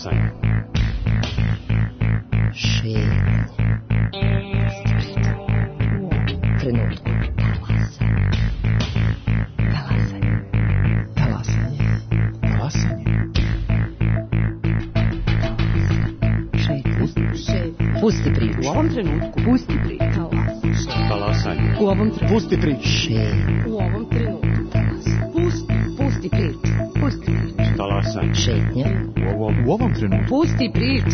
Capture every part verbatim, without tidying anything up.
Talasanje. Šetnje. Trenutku. Talasanje. Talasanje. Talasanje. Šetnje. Pusti priču. U ovom trenutku. Pusti priču. Talasanje. U ovom trenutku. Pusti priču. Šetnje. U ovom trenutku. Pusti, pusti priču. Pusti priču. Talasanje. Šetnje. U ovom, U ovom trenutku. Pusti priču.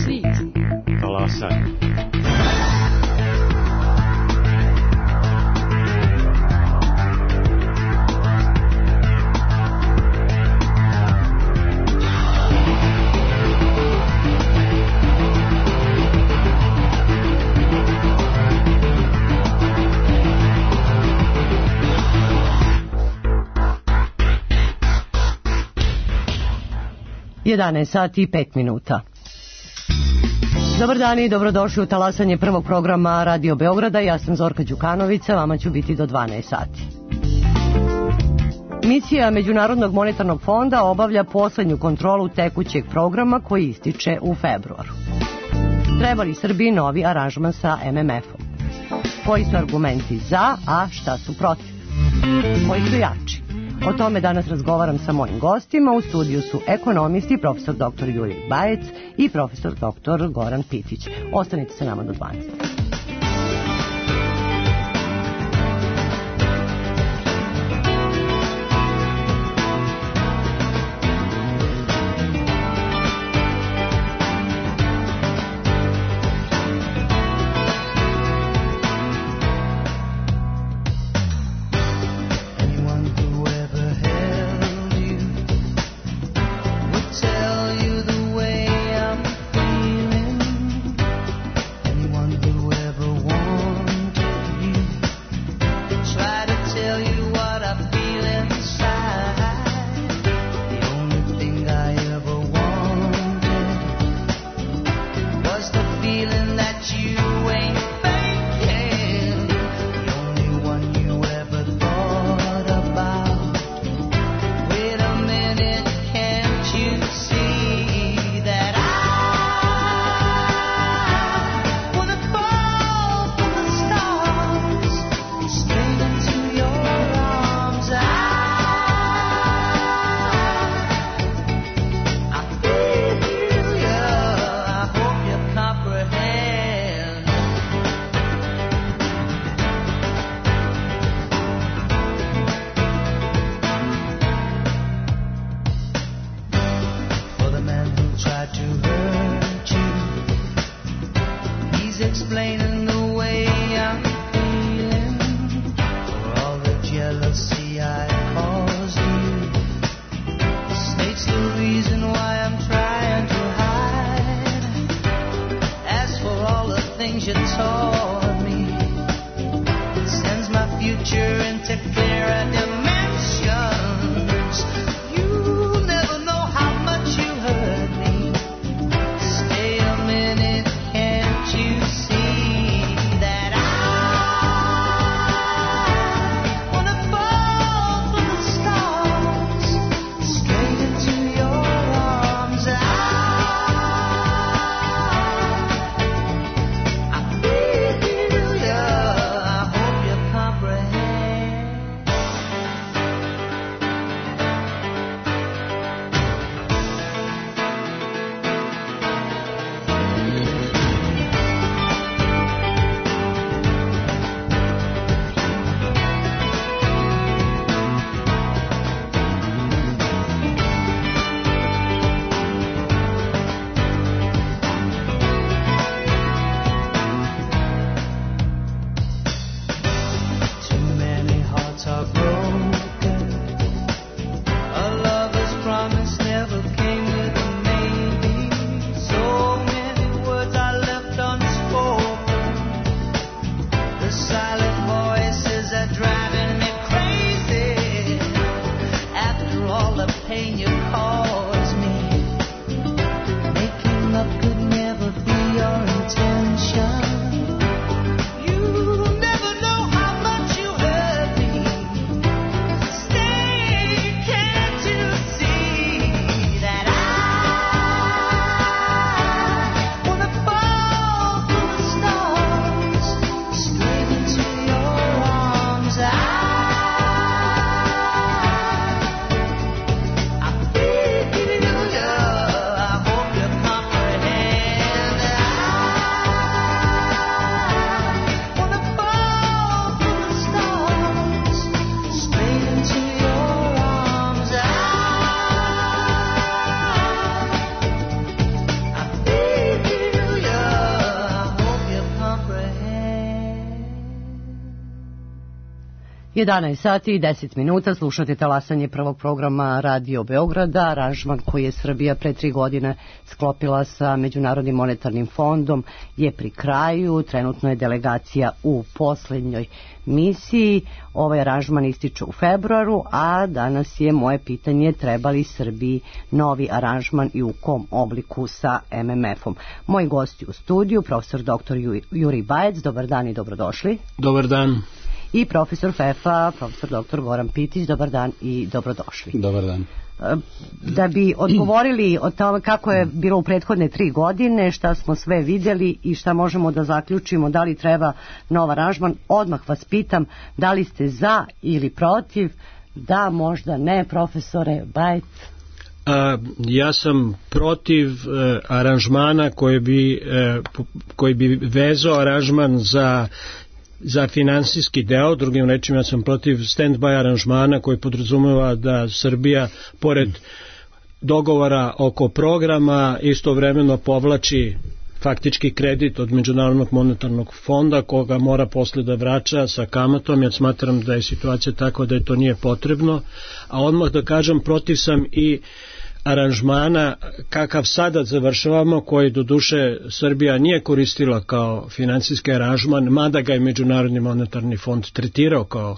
talasanje. jedanaest sati i pet minuta. Dobar dan i dobrodošli u talasanje prvog programa Radio Beograda. Ja sam Zorka Đukanovića, vama ću biti do dvanaest sati. Misija Međunarodnog monetarnog fonda obavlja poslednju kontrolu tekućeg programa koji ističe u februaru. Treba li Srbiji novi aranžman sa M M F-om? Koji su argumenti za, a šta su protiv? Koji su jači? O tome danas razgovaram sa mojim gostima. U studiju su ekonomisti, profesor doktor Julije Bajec i profesor doktor Goran Pitić. Ostanite sa nama do dvanaest. Tell you the way I'm feeling. Anyone who jedanaest sati i deset minuta, slušate talasanje prvog programa Radio Beograda. Aranžman koji je Srbija pre tri godine sklopila sa Međunarodnim monetarnim fondom je pri kraju. Trenutno je delegacija u poslednjoj misiji. Ovaj aranžman ističe u februaru, a danas je moje pitanje: treba li Srbiji novi aranžman i u kom obliku sa M M F-om? Moji gosti u studiju, profesor doktor Jurij Bajec, dobar dan i dobrodošli. Dobar dan. I profesor F E F A, profesor doktor Goran Pitić, dobar dan i dobrodošli. Dobar dan. Da bi odgovorili o tome kako je bilo u prethodne tri godine, šta smo sve vidjeli i šta možemo da zaključimo, da li treba nov aranžman, odmah vas pitam da li ste za ili protiv. Da, možda ne, profesore Bajec. A, ja sam protiv e, aranžmana koji bi, e, koji bi vezao aranžman za za finansijski deo. Drugim rečima, ja sam protiv stand-by aranžmana koji podrazumeva da Srbija, pored dogovora oko programa, istovremeno povlači faktički kredit od Međunarodnog monetarnog fonda, koga mora posle da vraća sa kamatom. Ja smatram da je situacija takva da je to nije potrebno. A odmah da kažem, protiv sam i aranžmana kakav sada završavamo, koji do duše Srbija nije koristila kao finansijski aranžman, mada ga je Međunarodni monetarni fond tretirao kao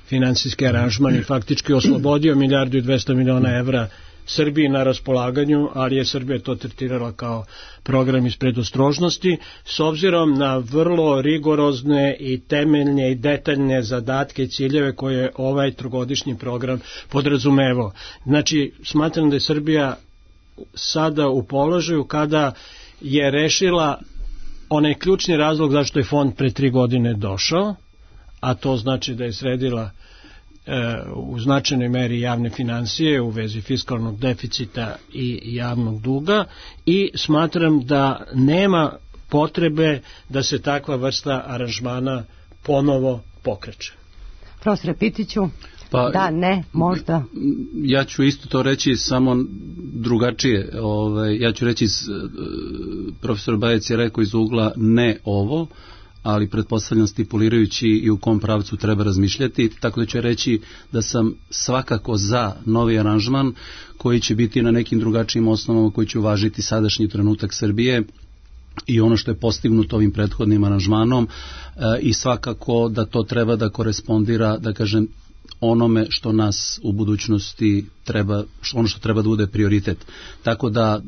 finansijski aranžman i faktički oslobodio milijardu i dvesta miliona evra Srbiji na raspolaganju, ali je Srbija to tretirala kao program iz predostrožnosti, s obzirom na vrlo rigorozne i temeljne i detaljne zadatke i ciljeve koje ovaj trogodišnji program podrazumevao. Znači, smatram da je Srbija sada u položaju kada je rešila onaj ključni razlog zašto je fond pre tri godine došao, a to znači da je sredila u značajnoj meri javne finansije u vezi fiskalnog deficita i javnog duga, i smatram da nema potrebe da se takva vrsta aranžmana ponovo pokreće. Profesore Pitiću, pa, da, ne, možda. Ja ću isto to reći, samo drugačije. Ove, ja ću reći, profesor Bajec je rekao iz ugla ne ovo, ali pretpostavljam stipulirajući i u kom pravcu treba razmišljati, tako da ću reći da sam svakako za novi aranžman koji će biti na nekim drugačijim osnovama, koji će uvažiti sadašnji trenutak Srbije i ono što je postignuto ovim prethodnim aranžmanom, e, i svakako da to treba da korespondira, da kažem, onome što nas u budućnosti treba, ono što treba da bude prioritet. Tako da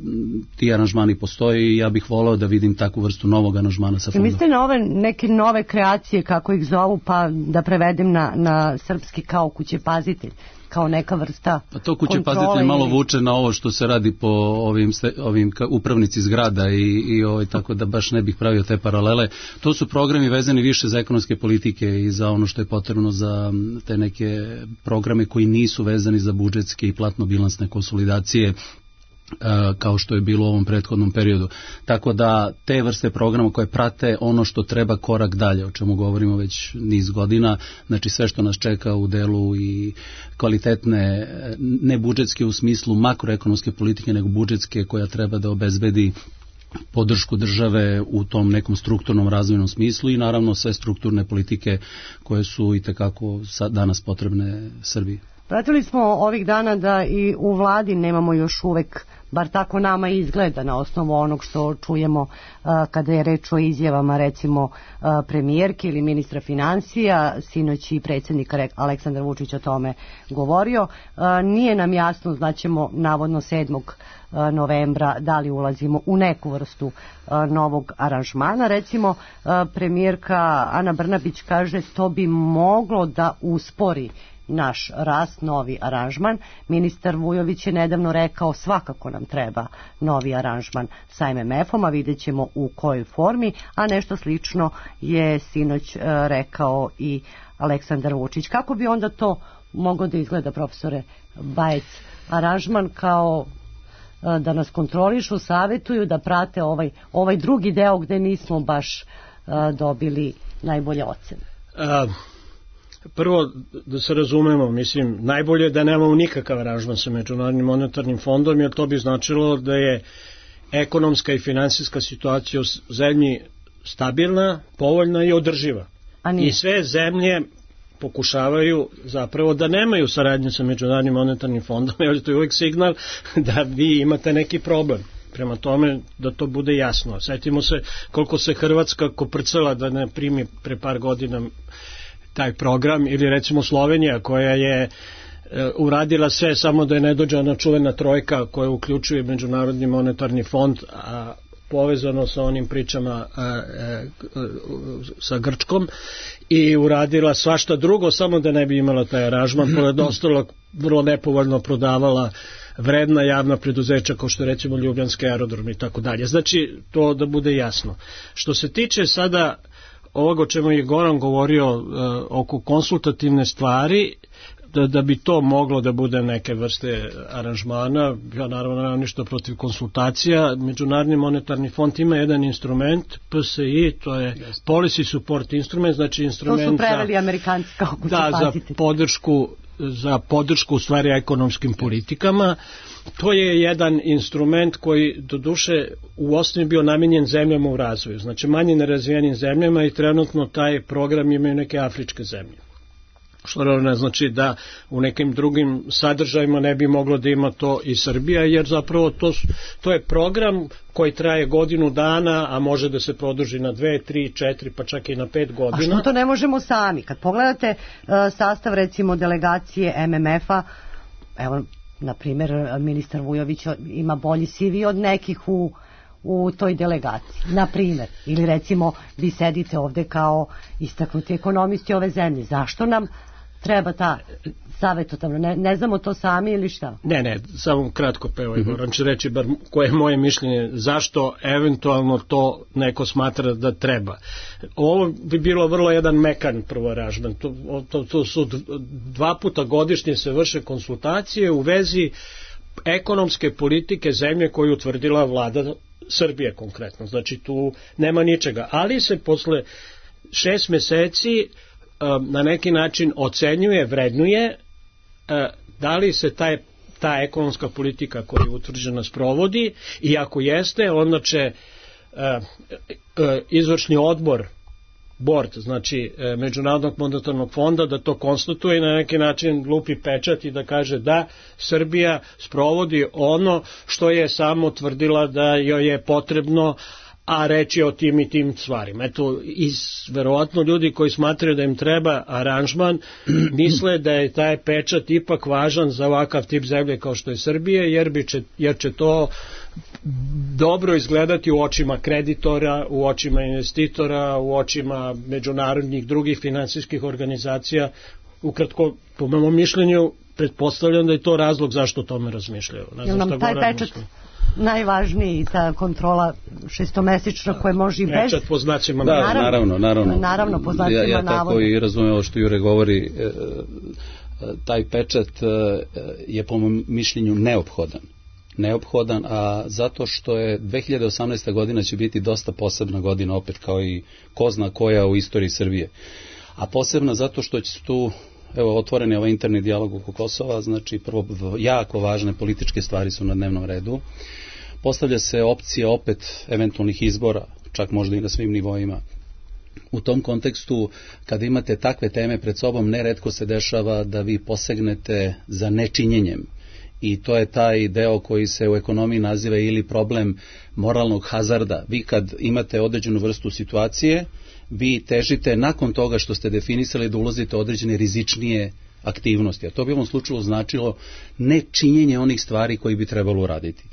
ti aranžmani postoje i ja bih volao da vidim takvu vrstu novog aranžmana sa fondom. Mislite na ove neke nove kreacije, kako ih zovu, pa da prevedem na, na srpski kao kuće pazitelj, kao neka vrsta pa to kuće pazitelj malo vuče na ovo što se radi po ovim, ovim upravnici zgrada i, i ovaj, tako da baš ne bih pravio te paralele. To su programi vezani više za ekonomske politike i za ono što je potrebno za te neke programe koji nisu vezani za budžetske i platno-bilansne konsolidacije, kao što je bilo u ovom prethodnom periodu. Tako da te vrste programa koje prate ono što treba korak dalje, o čemu govorimo već niz godina, znači sve što nas čeka u delu i kvalitetne, ne budžetske u smislu makroekonomske politike, nego budžetske koja treba da obezbedi podršku države u tom nekom strukturnom razvojnom smislu i naravno sve strukturne politike koje su i tekako danas potrebne Srbiji. Pratili smo ovih dana da i u vladi nemamo još uvek, bar tako nama izgleda na osnovu onog što čujemo uh, kada je reč o izjavama recimo uh, premijerke ili ministra financija, sinoć i predsjednik Aleksandar Vučić o tome govorio. Uh, nije nam jasno, znaćemo navodno sedmog novembra da li ulazimo u neku vrstu uh, novog aranžmana. Recimo uh, premijerka Ana Brnabić kaže to bi moglo da uspori naš rast, novi aranžman. Ministar Vujović je nedavno rekao svakako nam treba novi aranžman sa M M F-om, a vidjet ćemo u kojoj formi, a nešto slično je sinoć uh, rekao i Aleksandar Vučić. Kako bi onda to moglo da izgleda, profesore Bajec? Aranžman kao uh, da nas kontrolišu, savjetuju, da prate ovaj, ovaj drugi deo gde nismo baš uh, dobili najbolje ocene. Uh. Prvo, da se razumemo, mislim, najbolje je da nemamo nikakav aranžman sa Međunarodnim monetarnim fondom, jer to bi značilo da je ekonomska i finansijska situacija u zemlji stabilna, povoljna i održiva. I sve zemlje pokušavaju zapravo da nemaju saradnje sa Međunarodnim monetarnim fondom, jer to je uvijek signal da vi imate neki problem. Prema tome da to bude jasno. Sjetimo se koliko se Hrvatska koprcala da ne primi pre par godina taj program, ili recimo Slovenija koja je e, uradila sve samo da je ne dođe ona čuvena trojka koja uključuje Međunarodni monetarni fond, a povezano sa onim pričama a, a, a, sa Grčkom, i uradila svašta drugo samo da ne bi imala taj aranžman, pored ostalog vrlo nepovoljno prodavala vredna javna preduzeća kao što recimo Ljubljanski aerodrom i tako dalje. Znači to da bude jasno. Što se tiče sada ovoga o čemu je Goran govorio uh, oko konsultativne stvari, da, da bi to moglo da bude neke vrste aranžmana, ja naravno nemam ništa protiv konsultacija. Međunarodni monetarni fond ima jedan instrument, P S I, to je Policy Support Instrument, znači instrument to su preveli za, Amerikanci kako da, za podršku za podršku u stvari ekonomskim politikama. To je jedan instrument koji doduše u osnovi bio namenjen zemljama u razvoju, znači manje nerazvijenim zemljama, i trenutno taj program imaju neke afričke zemlje. Što ne znači da u nekim drugim sadržajima ne bi moglo da ima to i Srbija, jer zapravo to, to je program koji traje godinu dana, a može da se produži na dve, tri, četiri, pa čak i na pet godina. A što to ne možemo sami? Kad pogledate uh, sastav recimo delegacije M M F-a, evo, na primjer, ministar Vujović ima bolji C V od nekih u u toj delegaciji, na primjer, ili recimo vi sedite ovde kao istaknuti ekonomisti ove zemlje, zašto nam treba ta savjetodavna, ne, ne znamo to sami ili šta? Ne, ne, samo kratko peo, Igor, on će reći bar koje je moje mišljenje, zašto eventualno to neko smatra da treba. Ovo bi bilo vrlo jedan mekan prvo aranžman, to, to, to su dva puta godišnje se vrše konsultacije u vezi ekonomske politike zemlje koju utvrdila vlada Srbije konkretno, znači tu nema ničega, ali se posle šest meseci um, na neki način ocenjuje, vrednuje uh, da li se taj, ta ekonomska politika koja je utvrđena sprovodi, i ako jeste, onda će uh, uh, izvršni odbor board, znači e, Međunarodnog monetarnog fonda, da to konstatuje i na neki način lupi pečat i da kaže da Srbija sprovodi ono što je samo tvrdila da joj je potrebno, a reći o tim i tim stvarima. Eto, iz, verovatno ljudi koji smatraju da im treba aranžman, misle da je taj pečat ipak važan za ovakav tip zemlje kao što je Srbije, jer, bi će, jer će to dobro izgledati u očima kreditora, u očima investitora, u očima međunarodnih drugih finansijskih organizacija. Ukratko, po mojom mišljenju, pretpostavljam da je to razlog zašto o tome razmišljaju. Ne znam šta taj pečat najvažniji, ta kontrola šestomesečna koja može i bez... Pečat po znacima da, navoda. Naravno, naravno. Naravno, po znacima ja, ja navoda. tako i razumijem ovo što Jure govori, e, taj pečat je po mom mišljenju neophodan. Neophodan, a zato što je dve hiljade osamnaesta godina će biti dosta posebna godina, opet kao i ko zna koja u istoriji Srbije. A posebna zato što će tu, evo, otvoren je ovaj interni dijalog oko Kosova, znači prvo jako važne političke stvari su na dnevnom redu. Postavlja se opcija opet eventualnih izbora, čak možda i na svim nivoima. U tom kontekstu, kada imate takve teme pred sobom, neretko se dešava da vi posegnete za nečinjenjem. I to je taj deo koji se u ekonomiji naziva ili problem moralnog hazarda. Vi kad imate određenu vrstu situacije, vi težite nakon toga što ste definisali da ulazite određene rizičnije aktivnosti. A to bi u ovom slučaju značilo nečinjenje onih stvari koji bi trebalo uraditi.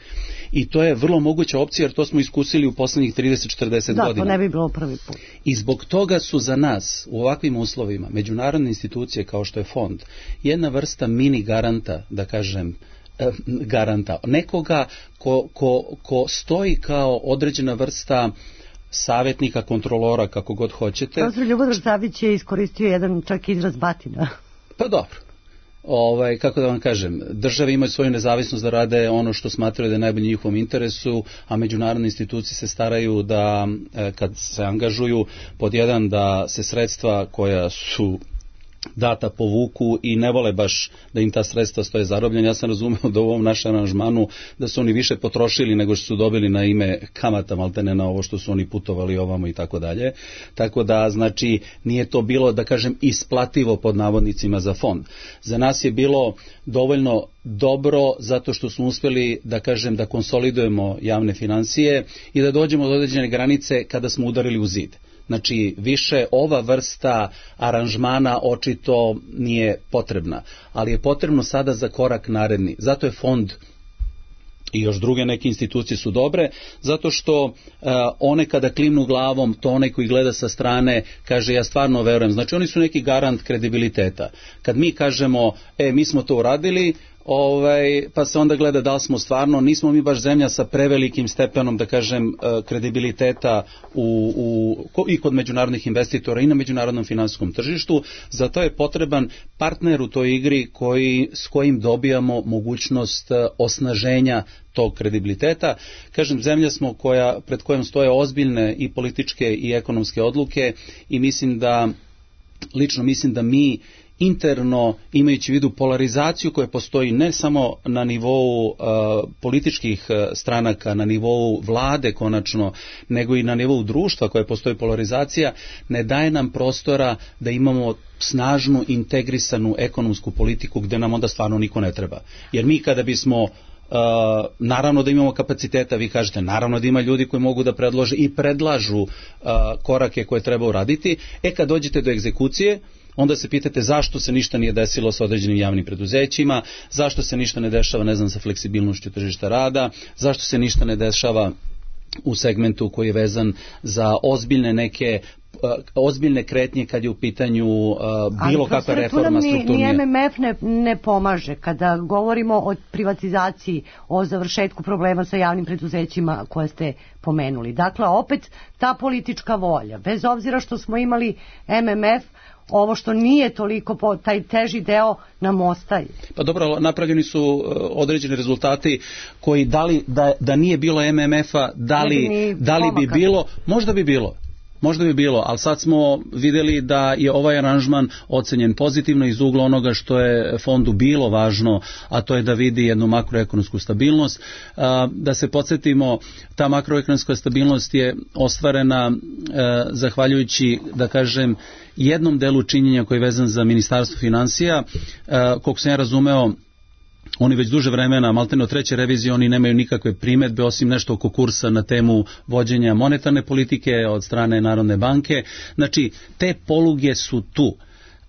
I to je vrlo moguća opcija, jer to smo iskusili u poslednjih trideset do četrdeset da, godina. Da, to ne bi bilo prvi put. I zbog toga su za nas u ovakvim uslovima međunarodne institucije kao što je fond jedna vrsta mini garanta, da kažem, garanta. Nekoga ko, ko, ko stoji kao određena vrsta savjetnika, kontrolora, kako god hoćete. Profesor Ljubodrag Savić je iskoristio jedan čak izraz batina. Pa dobro. Ovaj, kako da vam kažem, države imaju svoju nezavisnost da rade ono što smatraju da je najbolje njihovom interesu, a međunarodne institucije se staraju da, kad se angažuju, pod jedan, da se sredstva koja su data povuku i ne vole baš da im ta sredstva stoje zarobljena. Ja sam razumeo da u ovom našem aranžmanu da su oni više potrošili nego što su dobili na ime kamata, maltene na ovo što su oni putovali ovamo i tako dalje. Tako da, znači, nije to bilo, da kažem, isplativo pod navodnicima za fond. Za nas je bilo dovoljno dobro zato što smo uspjeli, da kažem, da konsolidujemo javne financije i da dođemo do određene granice kada smo udarili u zid. Znači, više ova vrsta aranžmana očito nije potrebna, ali je potrebno sada za korak naredni. Zato je fond i još druge neke institucije su dobre, zato što uh, one kada klimnu glavom, to onaj koji gleda sa strane kaže ja stvarno verujem. Znači, oni su neki garant kredibiliteta. Kad mi kažemo, e, mi smo to uradili, Ovaj, pa se onda gleda da li smo stvarno, nismo mi baš zemlja sa prevelikim stepenom, da kažem, kredibiliteta u, u, i kod međunarodnih investitora i na međunarodnom finansijskom tržištu, zato je potreban partner u toj igri koji, s kojim dobijamo mogućnost osnaženja tog kredibiliteta. Kažem, zemlja smo koja, pred kojom stoje ozbiljne i političke i ekonomske odluke i mislim da, lično mislim da mi interno, imajući u vidu polarizaciju koja postoji ne samo na nivou uh, političkih uh, stranaka, na nivou vlade konačno, nego i na nivou društva koja postoji polarizacija, ne daje nam prostora da imamo snažnu, integrisanu ekonomsku politiku gde nam onda stvarno niko ne treba. Jer mi kada bismo Uh, naravno da imamo kapaciteta, vi kažete, naravno da ima ljudi koji mogu da predlože i predlažu uh, korake koje treba uraditi, e kad dođete do egzekucije, onda se pitate zašto se ništa nije desilo sa određenim javnim preduzećima, zašto se ništa ne dešava, ne znam, sa fleksibilnošću tržišta rada, zašto se ništa ne dešava u segmentu koji je vezan za ozbiljne neke ozbiljne kretnje kad je u pitanju uh, bilo kakva reforma strukturnija. Ali ni M M F ne, ne pomaže kada govorimo o privatizaciji, o završetku problema sa javnim preduzećima koje ste pomenuli. Dakle, opet ta politička volja, bez obzira što smo imali M M F, ovo što nije toliko, po, taj teži deo nam ostaje. Pa dobro, napravljeni su uh, određeni rezultati koji da, li, da, da nije bilo M M F-a, da li, da li bi bilo, možda bi bilo. Možda bi bilo, ali sad smo vidjeli da je ovaj aranžman ocenjen pozitivno iz ugla onoga što je fondu bilo važno, a to je da vidi jednu makroekonomsku stabilnost. Da se podsjetimo, ta makroekonomska stabilnost je ostvarena zahvaljujući, da kažem, jednom delu činjenja koji je vezan za Ministarstvo financija. Koliko sam ja razumeo, oni već duže vremena, maltene od treće revizije, oni nemaju nikakve primedbe osim nešto oko kursa na temu vođenja monetarne politike od strane Narodne banke. Znači, te poluge su tu.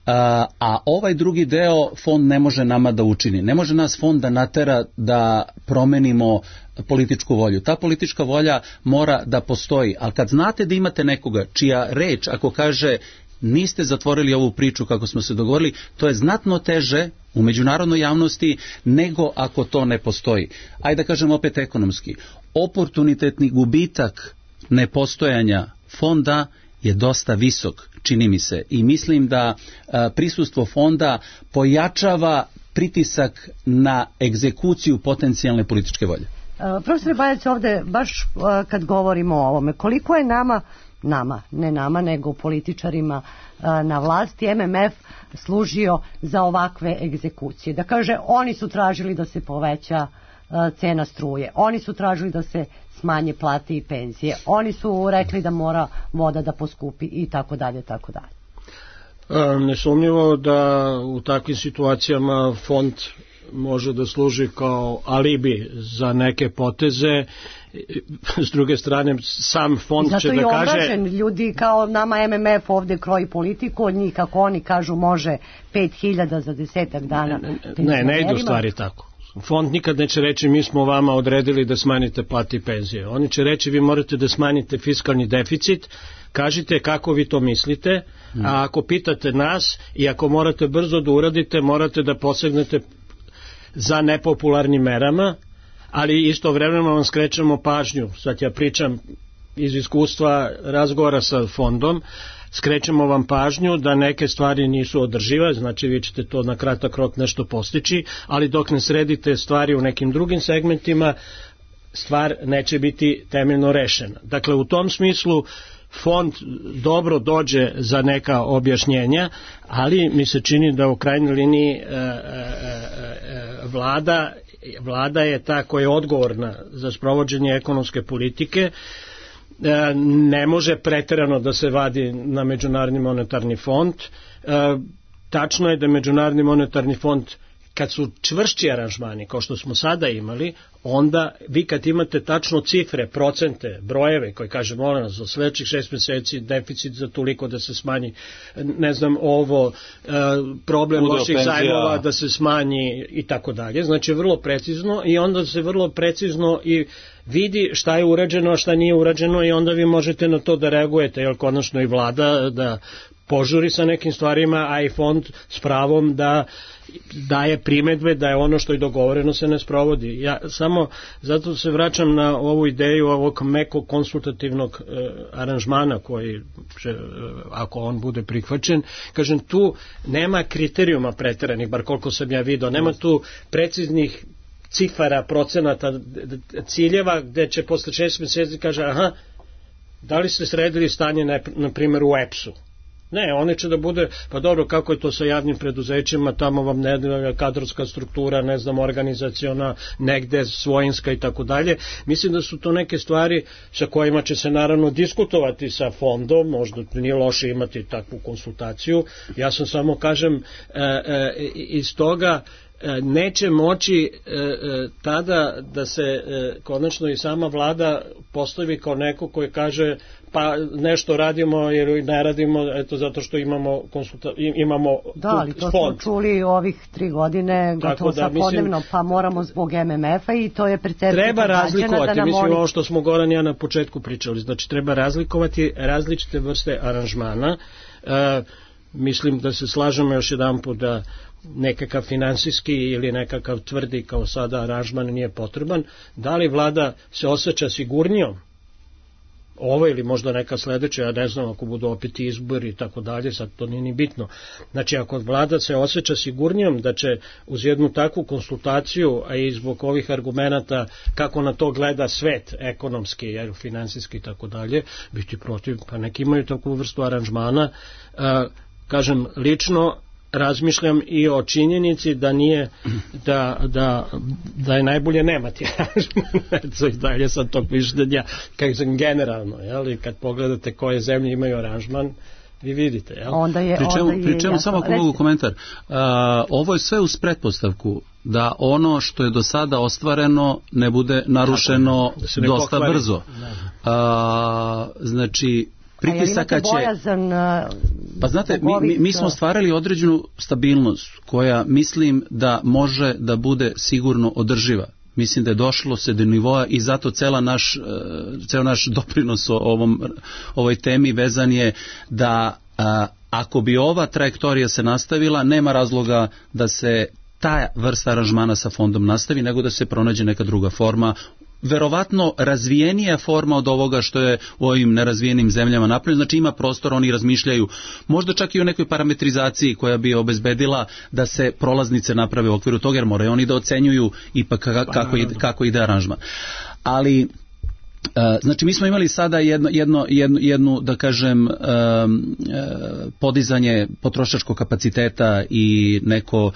A, a ovaj drugi deo fond ne može nama da učini. Ne može nas fond da natera da promenimo političku volju. Ta politička volja mora da postoji. Ali kad znate da imate nekoga čija reč, ako kaže niste zatvorili ovu priču kako smo se dogovorili, to je znatno teže u međunarodnoj javnosti nego ako to ne postoji. Ajde da kažem opet ekonomski. Oportunitetni gubitak nepostojanja fonda je dosta visok, čini mi se. I mislim da a, prisustvo fonda pojačava pritisak na egzekuciju potencijalne političke volje. Profesor Bajac, ovde baš a, kad govorimo o ovome, koliko je nama nama, ne nama, nego političarima na vlasti M M F služio za ovakve egzekucije. Da kaže, oni su tražili da se poveća cena struje, oni su tražili da se smanje plate i penzije, oni su rekli da mora voda da poskupi i tako dalje, tako dalje. Nesumnjivo da u takvim situacijama fond može da služi kao alibi za neke poteze. S druge strane, sam fond zato će da kaže... Zato je obražen, ljudi kao nama M M F ovde kroji politiku, od njih kako oni kažu može pet hiljada za desetak dana. Ne, ne ide u stvari tako. Fond nikad neće reći mi smo vama odredili da smanjite plate i penzije. Oni će reći vi morate da smanjite fiskalni deficit, kažite kako vi to mislite, a ako pitate nas i ako morate brzo da uradite, morate da posegnete za nepopularnim merama, ali istovremeno vam skrećemo pažnju. Sad ja pričam iz iskustva razgovora sa fondom, skrećemo vam pažnju da neke stvari nisu održive, znači vi ćete to na kratak rok nešto postići, ali dok ne sredite stvari u nekim drugim segmentima, stvar neće biti temeljno rešena. Dakle, u tom smislu fond dobro dođe za neka objašnjenja, ali mi se čini da u krajnjoj liniji e, e, e, vlada, vlada je ta koja je odgovorna za sprovođenje ekonomske politike, e, ne može preterano da se vadi na Međunarodni monetarni fond. E, tačno je da Međunarodni monetarni fond, kad su čvršći aranžmani, kao što smo sada imali, onda vi kad imate tačno cifre, procente, brojeve koji kaže molim nas za sledećih šest meseci deficit za toliko da se smanji, ne znam ovo, problem loših zajmova da se smanji i tako dalje, znači vrlo precizno i onda se vrlo precizno i vidi šta je urađeno, a šta nije urađeno i onda vi možete na to da reagujete, jer konačno i vlada da požuri sa nekim stvarima, a i fond s pravom da daje primedbe da je ono što je dogovoreno se ne sprovodi. Ja samo zato se vraćam na ovu ideju ovog mekog konsultativnog e, aranžmana koji će, e, ako on bude prihvaćen, kažem tu nema kriterijuma preteranih, bar koliko sam ja video, nema tu preciznih cifara, procenata, ciljeva gde će posle šest meseci kaže aha, da li ste sredili stanje na, na primjer u E P S-u? Ne, one će da bude, pa dobro, kako je to sa javnim preduzećima, tamo vam ne kadrovska struktura, ne znam, organizaciona, negde svojinska i tako dalje. Mislim da su to neke stvari sa kojima će se naravno diskutovati sa fondom, možda nije loše imati takvu konsultaciju. Ja sam samo, kažem, e, e, iz toga neće moći e, e, tada da se e, konačno i sama vlada postavi kao neko koji kaže pa nešto radimo ili ne radimo eto zato što imamo konsulta, imamo da, ali to fond. Smo čuli ovih tri godine gotovo da, svakodnevno, pa moramo zbog M M F-a i to je percepcija treba razlikovati, da mislim oni... ovo što smo Goran ja na početku pričali, znači treba razlikovati različite vrste aranžmana. E, mislim da se slažemo još jedan put da nekakav finansijski ili nekakav tvrdi kao sada aranžman nije potreban. Da li vlada se osjeća sigurnijom ovo ili možda neka sledeća, ja ne znam, ako budu opet izbori i tako dalje, sad to nije ni bitno. Znači ako vlada se osjeća sigurnijom da će uz jednu takvu konsultaciju, a i zbog ovih argumenata kako na to gleda svet ekonomski, jer finansijski i tako dalje, biti protiv, pa neki imaju takvu vrstu aranžmana. A, kažem, lično razmišljam i o činjenici da nije da, da, da je najbolje nemati aranžman i dalje sad tog mišljenja kako sam generalno, jel? Kad pogledate koje zemlje imaju aranžman vi vidite, jel? Onda je, pri čemu, onda je pri čemu samo ako mogu komentar, uh, ovo je sve uz pretpostavku da ono što je do sada ostvareno ne bude narušeno da ne dosta pokvari. Brzo. Uh, znači pritisaka će... Bojazan, pa znate, mi, mi, mi smo stvarali određenu stabilnost koja mislim da može da bude sigurno održiva. Mislim da je došlo se do nivoa i zato cela naš, ceo naš doprinos o ovom, ovoj temi vezan je da a, ako bi ova trajektorija se nastavila, nema razloga da se ta vrsta aranžmana sa fondom nastavi, nego da se pronađe neka druga forma, verovatno razvijenija forma od ovoga što je u ovim nerazvijenim zemljama napravljeno, znači ima prostor, oni razmišljaju možda čak i o nekoj parametrizaciji koja bi obezbedila da se prolaznice naprave u okviru toga, jer moraju oni da ocenjuju ipak kako ide, kako ide aranžman. Ali znači mi smo imali sada jedno, jedno, jednu, jednu da kažem podizanje potrošačkog kapaciteta i neko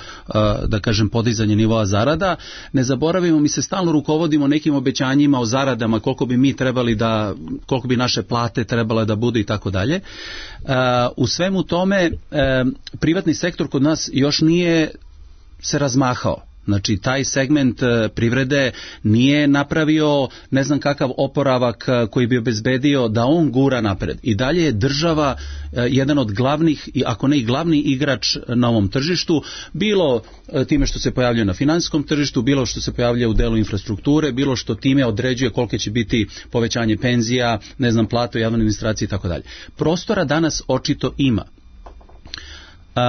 da kažem podizanje nivoa zarada. Ne zaboravimo, mi se stalno rukovodimo nekim obećanjima o zaradama, koliko bi mi trebali da, koliko bi naše plate trebale da budu i tako dalje. U svemu tome privatni sektor kod nas još nije se razmahao. Znači, taj segment privrede nije napravio ne znam kakav oporavak koji bi obezbedio da on gura napred. I dalje je država jedan od glavnih, ako ne i glavni igrač na ovom tržištu, bilo time što se pojavljuje na finansijskom tržištu, bilo što se pojavljuje u delu infrastrukture, bilo što time određuje koliko će biti povećanje penzija, ne znam, plata u javnoj administraciji i tako dalje. Prostora danas očito ima. Uh,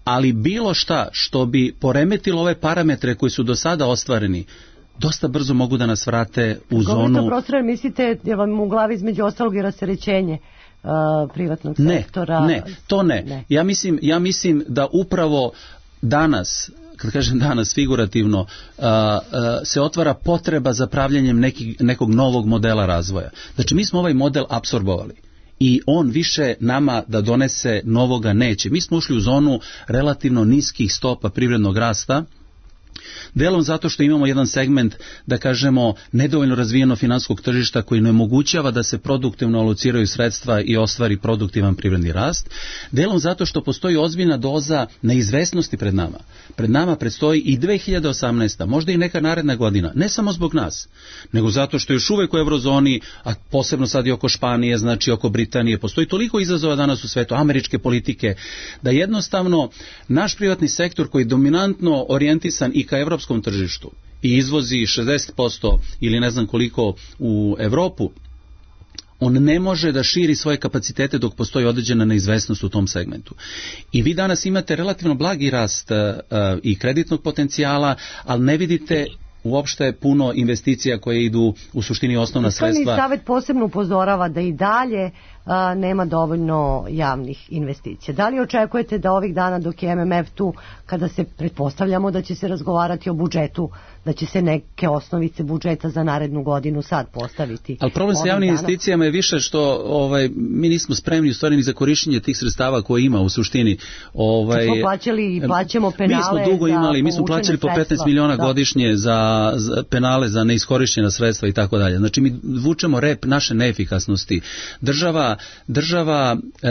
ali bilo šta što bi poremetilo ove parametre koji su do sada ostvareni, dosta brzo mogu da nas vrate u zonu... Govorite o prostoru, mislite da vam u glavi između ostalog i rasterećenje uh, privatnog ne, sektora? Ne, to ne. ne. Ja, mislim, ja mislim da upravo danas, kad kažem danas figurativno, uh, uh, se otvara potreba za pravljanjem neki, nekog novog modela razvoja. Znači mi smo ovaj model apsorbovali. i on više nama da donese novoga neće. Mi smo ušli u zonu relativno niskih stopa privrednog rasta, delom zato što imamo jedan segment, da kažemo, nedovoljno razvijeno finansijskog tržišta koji ne omogućava da se produktivno alociraju sredstva i ostvari produktivan privredni rast, delom zato što postoji ozbiljna doza neizvesnosti pred nama. Pred nama predstoji i dve hiljade osamnaesta, možda i neka naredna godina, ne samo zbog nas, nego zato što još uvek u eurozoni, a posebno sad i oko Španije, znači oko Britanije, postoji toliko izazova danas u svetu, američke politike, da jednostavno naš privatni sektor koji je dominantno orijentisan i ka evropskom tržištu i izvozi šezdeset posto ili ne znam koliko u Evropu, on ne može da širi svoje kapacitete dok postoji određena neizvesnost u tom segmentu. I vi danas imate relativno blagi rast uh, i kreditnog potencijala, ali ne vidite uopšte puno investicija koje idu u suštini osnovna sredstva. Fiskalni savet posebno upozorava da i dalje a, nema dovoljno javnih investicija. Da li očekujete da ovih dana dok je M M F tu, kada se pretpostavljamo da će se razgovarati o budžetu, da će se neke osnovice budžeta za narednu godinu sad postaviti? Ali problem sa javnim investicijama je više što ovaj, mi nismo spremni u stvari ni za korišćenje tih sredstava koje ima u suštini. Ovaj, smo plaćali i plaćamo penale. Mi smo dugo imali, mi smo plaćali po petnaest miliona da. godišnje za, za penale za neiskorišćena sredstva i tako dalje. Znači mi vučemo rep naše neefikasnosti. Država, država e,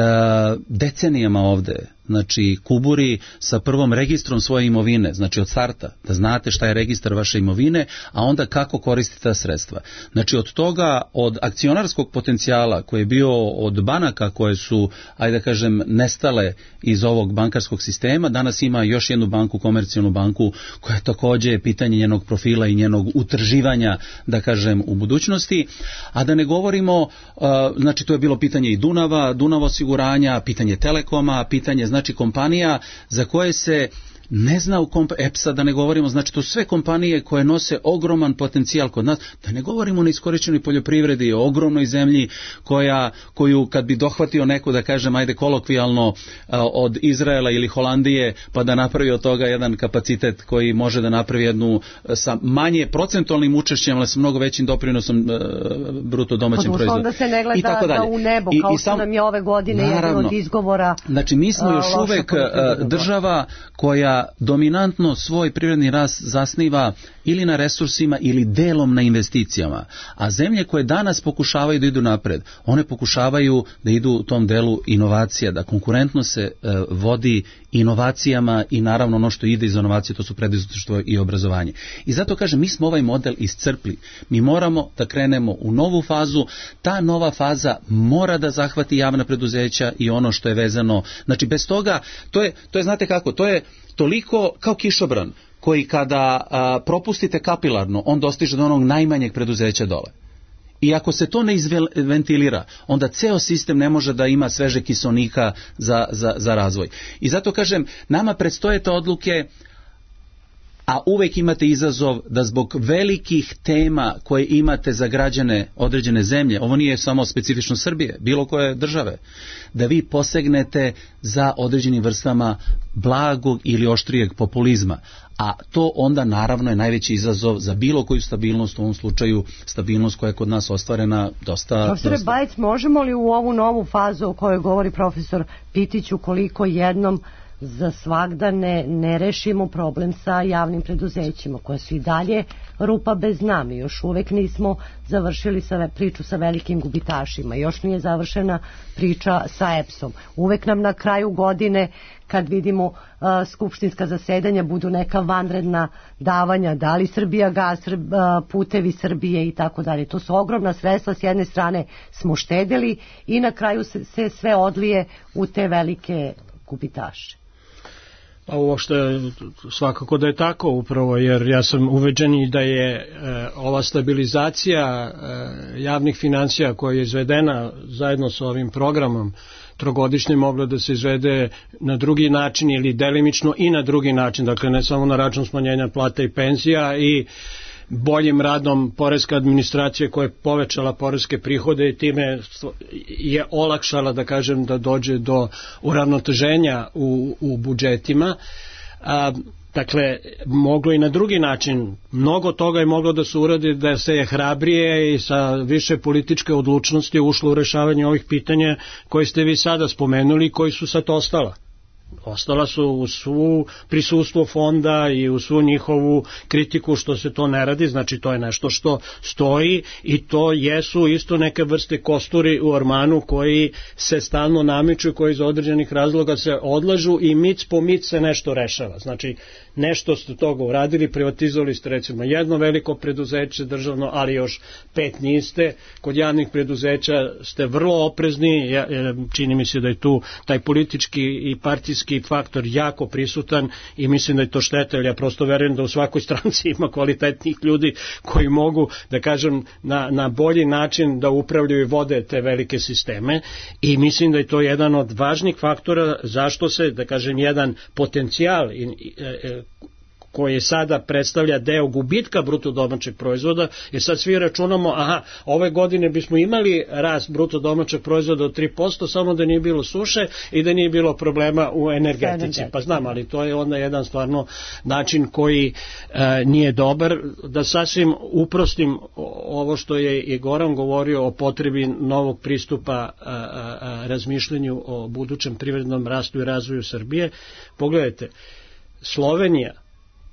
decenijama ovde, znači kuburi sa prvom registrom svoje imovine, znači od starta, da znate šta je registar vaše imovine, a onda kako koristite ta sredstva. Znači od toga, od akcionarskog potencijala koji je bio od banaka koje su, ajde da kažem, nestale iz ovog bankarskog sistema, danas ima još jednu banku, komercijalnu banku, koja je takođe pitanje njenog profila i njenog utrživanja, da kažem, u budućnosti, a da ne govorimo, uh, znači to je bilo pitanje i Dunava, Dunava osiguranja, pitanje Telekoma, pitanje znači kompanija za koje se ne zna u komp... E P S A da ne govorimo, znači to su sve kompanije koje nose ogroman potencijal kod nas, da ne govorimo o neiskorišćenoj poljoprivredi, o ogromnoj zemlji koja, koju kad bi dohvatio neko, da kažem, ajde kolokvijalno od Izraela ili Holandije, pa da napravi od toga jedan kapacitet koji može da napravi jednu sa manje procentualnim učešćem, ali sa mnogo većim doprinosom bruto domaćem proizvodu. Onda se ne gleda da u nebo, kao I, i sam, što nam je ove godine naravno, jedan od izgovora. Znači mi smo još uvek država koja dominantno svoj privredni rast zasniva ili na resursima ili delom na investicijama. A zemlje koje danas pokušavaju da idu napred, one pokušavaju da idu u tom delu inovacija, da konkurentno se e, vodi inovacijama i naravno ono što ide iz inovacije, to su preduzetništvo i obrazovanje. I zato kažem, mi smo ovaj model iscrpli. Mi moramo da krenemo u novu fazu. Ta nova faza mora da zahvati javna preduzeća i ono što je vezano. Znači bez toga, to je, to je znate kako, to je toliko kao kišobran koji kada a, propustite kapilarno, on dostiže do onog najmanjeg preduzeća dole. I ako se to ne izventilira, onda ceo sistem ne može da ima sveže kiselnika za, za, za razvoj. I zato kažem, nama predstoje te odluke, a uvek imate izazov da zbog velikih tema koje imate za građane određene zemlje, ovo nije samo specifično Srbije, bilo koje države, da vi posegnete za određenim vrstama blagog ili oštrijeg populizma. A to onda naravno je najveći izazov za bilo koju stabilnost, u ovom slučaju stabilnost koja je kod nas ostvarena dosta... Profesore Bajec, možemo li u ovu novu fazu o kojoj govori profesor Pitić, ukoliko jednom za svagda ne, ne rešimo problem sa javnim preduzećima koja su i dalje rupa bez dna. Mi još uvek nismo završili sa priču sa velikim gubitašima, još nije završena priča sa E P S-om. Uvek nam na kraju godine kad vidimo uh, skupštinska zasedanja budu neka vanredna davanja, da li Srbija gas, uh, putevi Srbije i tako dalje. To su ogromna sredstva, s jedne strane smo štedeli i na kraju se, se sve odlije u te velike gubitaše. Pa uopšte svakako da je tako upravo, jer ja sam uveđen i da je e, ova stabilizacija e, javnih financija koja je izvedena zajedno sa ovim programom trogodišnje mogla da se izvede na drugi način ili delimično i na drugi način, dakle ne samo na račun smanjenja plata i penzija i boljim radom poreske administracije koja je povećala poreske prihode i time je olakšala, da kažem, da dođe do uravnoteženja u, u budžetima. A, Dakle, moglo i na drugi način, mnogo toga je moglo da se uradi da se je hrabrije i sa više političke odlučnosti ušlo u rešavanje ovih pitanja koje ste vi sada spomenuli i koji su sad ostala. Ostala su u svu prisustvo fonda i u svu njihovu kritiku što se to ne radi, znači to je nešto što stoji i to jesu isto neke vrste kosturi u ormanu koji se stalno namiču, koji iz određenih razloga se odlažu i mic po mic se nešto rešava. Znači nešto ste toga uradili, privatizovali ste recimo jedno veliko preduzeće državno, ali još pet niste. Kod javnih preduzeća ste vrlo oprezni, čini mi se da je tu taj politički i partijski faktor jako prisutan i mislim da je to šteta, jer ja prosto verujem da u svakoj stranci ima kvalitetnih ljudi koji mogu, da kažem, na, na bolji način da upravljaju i vode te velike sisteme i mislim da je to jedan od važnih faktora zašto se, da kažem, jedan potencijal i, i, koji sada predstavlja deo gubitka bruto domaćeg proizvoda, jer sad svi računamo, aha, ove godine bismo imali rast bruto domaćeg proizvoda od tri posto, samo da nije bilo suše i da nije bilo problema u energetici. Pa znam, ali to je onda jedan stvarno način koji e, nije dobar. Da sasvim uprostim ovo što je i Goran govorio o potrebi novog pristupa a, a, a, razmišljanju o budućem privrednom rastu i razvoju Srbije. Pogledajte, Slovenija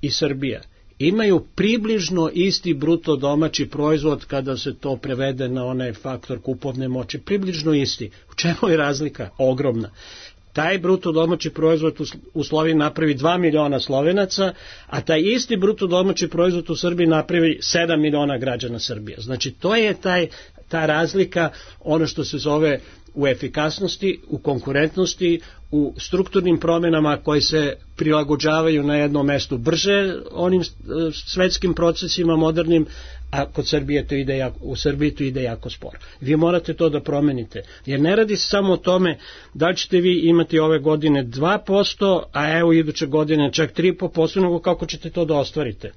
i Srbija imaju približno isti bruto domaći proizvod kada se to prevede na onaj faktor kupovne moći, približno isti. U čemu je razlika? Ogromna. Taj bruto domaći proizvod u Sloveniji napravi dva miliona Slovenaca, a taj isti bruto domaći proizvod u Srbiji napravi sedam miliona građana Srbije. Znači to je taj, ta razlika, ono što se zove u efikasnosti, u konkurentnosti, u strukturnim promjenama koji se prilagođavaju na jednom mestu brže onim svetskim procesima modernim, a kod Srbije to ide jako, u Srbiji to ide jako sporo. Vi morate to da promenite, jer ne radi se samo o tome da ćete vi imati ove godine dva posto, a evo iduće godine čak tri i po posto, nego kako ćete to da ostvarite.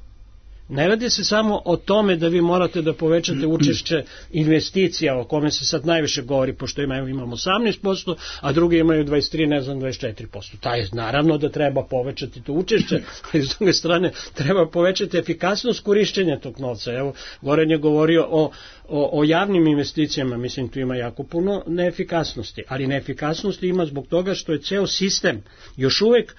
Ne radi se samo o tome da vi morate da povećate učešće investicija o kome se sad najviše govori, pošto imaju, imamo osamnaest posto, a drugi imaju dvadeset tri, ne znam, dvadeset četiri posto. Taj, naravno da treba povećati to učešće, ali s druge strane treba povećati efikasnost korišćenja tog novca. Evo, Goran je govorio o, o, o javnim investicijama, mislim tu ima jako puno neefikasnosti, ali neefikasnosti ima zbog toga što je ceo sistem još uvek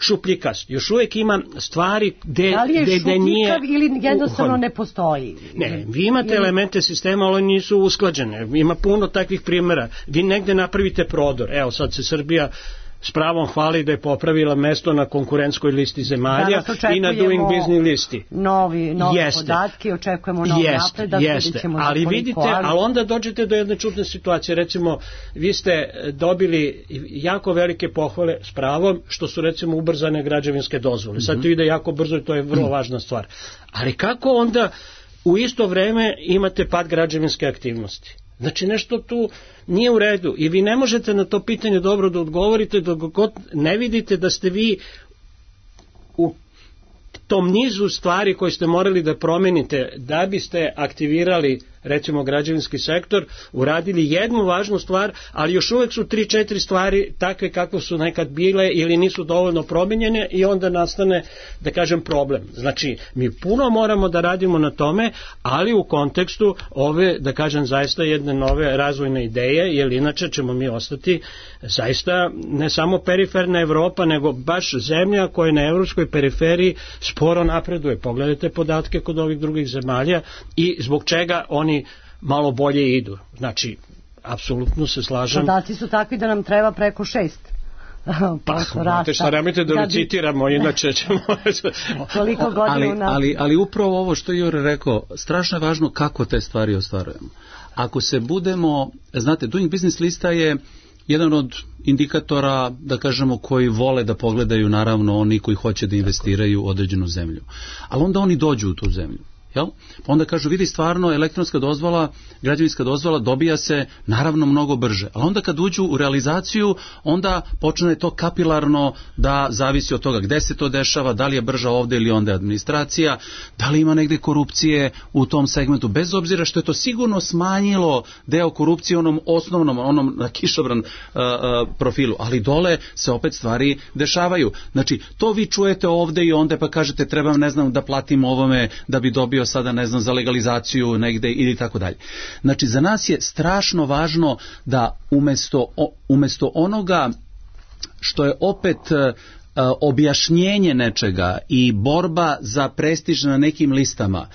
šupljikast. Još uvijek ima stvari gde, da li je gde, gde nije... šupljikav ili jednostavno ne postoji? Ne, vi imate elemente sistema, ali nisu usklađene. Ima puno takvih primjera. Vi negde napravite prodor. Evo sad se Srbija s pravom hvali da je popravila mesto na konkurentskoj listi zemalja i na Doing Business listi. Novi, nove jeste. Podatke, očekujemo nov jeste, napredak. Jeste, ali vidite, ali... ali onda dođete do jedne čudne situacije. Recimo, vi ste dobili jako velike pohvale s pravom što su recimo ubrzane građevinske dozvole. Sad to ide jako brzo i to je vrlo važna stvar. Ali kako onda u isto vreme imate pad građevinske aktivnosti? Znači nešto tu nije u redu i vi ne možete na to pitanje dobro da odgovorite dok god ne vidite da ste vi u tom nizu stvari koje ste morali da promenite da biste aktivirali recimo građevinski sektor, uradili jednu važnu stvar, ali još uvek su tri četiri stvari takve kako su nekad bile ili nisu dovoljno promenjene i onda nastane, da kažem, problem. Znači, mi puno moramo da radimo na tome, ali u kontekstu ove, da kažem, zaista jedne nove razvojne ideje, jer inače ćemo mi ostati zaista ne samo periferna Evropa, nego baš zemlja koja na evropskoj periferiji sporo napreduje. Pogledajte podatke kod ovih drugih zemalja i zbog čega oni malo bolje idu. Znači, apsolutno se slažem. Podaci su takvi da nam treba preko šest. Pa, znate šta, nemojte da recitiramo, inače ćemo... Toliko godina ali, na... ali, ali upravo ovo što je Jure rekao, strašno je važno kako te stvari ostvarujemo. Ako se budemo, znate, Doing Business lista je jedan od indikatora, da kažemo, koji vole da pogledaju naravno oni koji hoće da investiraju u određenu zemlju. Ali onda oni dođu u tu zemlju. Jel? Pa onda kažu, vidi, stvarno elektronska dozvola, građevinska dozvola dobija se naravno mnogo brže. Ali onda kad uđu u realizaciju, onda počne to kapilarno da zavisi od toga gde se to dešava, da li je brža ovde ili onda administracija, da li ima negde korupcije u tom segmentu, bez obzira što je to sigurno smanjilo deo korupcije onom osnovnom, onom na kišobran uh, uh, profilu, ali dole se opet stvari dešavaju. Znači, to vi čujete ovde i onda pa kažete trebam, ne znam, da platim ovome da bi dobio sada, ne znam, za legalizaciju negde ili tako dalje. Znači, za nas je strašno važno da umesto, umesto onoga što je opet objašnjenje nečega i borba za prestiž na nekim listama,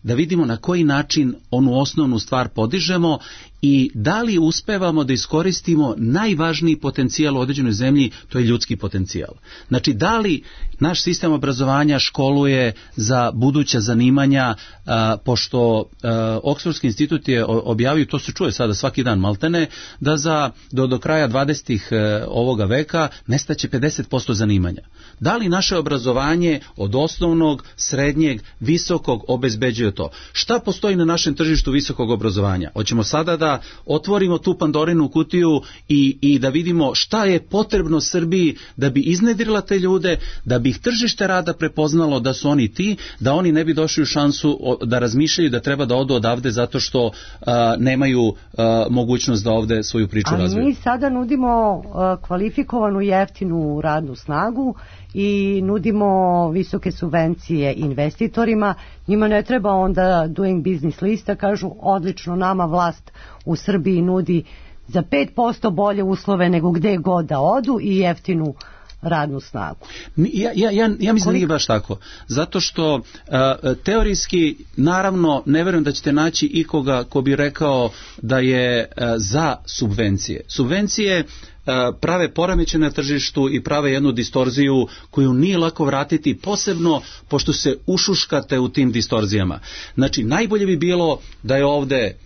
da vidimo na koji način onu osnovnu stvar podižemo i da li uspevamo da iskoristimo najvažniji potencijal u određenoj zemlji, to je ljudski potencijal. Znači, da li naš sistem obrazovanja školuje za buduća zanimanja, a, pošto a, Oksfordski institut je objavio, to se čuje sada svaki dan maltene, da za, do, do kraja dvadesetih ovoga veka nestaće pedeset posto zanimanja. Da li naše obrazovanje od osnovnog, srednjeg, visokog obezbeđuje to? Šta postoji na našem tržištu visokog obrazovanja? Hoćemo sada da otvorimo tu Pandorinu kutiju i, i da vidimo šta je potrebno Srbiji da bi iznedrila te ljude, da bi ih tržište rada prepoznalo da su oni ti, da oni ne bi došli u šansu da razmišljaju da treba da odu odavde zato što a, nemaju a, mogućnost da ovde svoju priču razviju. A mi sada nudimo a, kvalifikovanu jeftinu radnu snagu i nudimo visoke subvencije investitorima. Njima ne treba onda doing business lista, kažu odlično, nama vlast u Srbiji nudi za pet posto bolje uslove nego gde god da odu i jeftinu radnu snagu. Ja, ja, ja, ja mislim da nije baš tako. Zato što a, teorijski, naravno, ne verujem da ćete naći ikoga ko bi rekao da je a, za subvencije. Subvencije prave poremeće na tržištu i prave jednu distorziju koju nije lako vratiti, posebno pošto se ušuškate u tim distorzijama. Znači, najbolje bi bilo da je ovde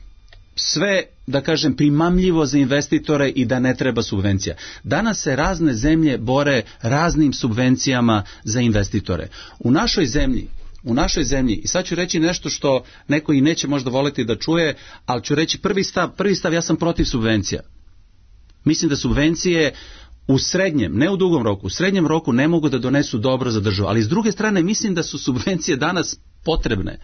sve, da kažem, primamljivo za investitore i da ne treba subvencija. Danas se razne zemlje bore raznim subvencijama za investitore. U našoj zemlji U našoj zemlji, i sad ću reći nešto što neko i neće možda voleti da čuje, ali ću reći prvi stav, prvi stav, ja sam protiv subvencija. Mislim da subvencije u srednjem, ne u dugom roku, u srednjem roku ne mogu da donesu dobro za državu, ali s druge strane mislim da su subvencije danas potrebne.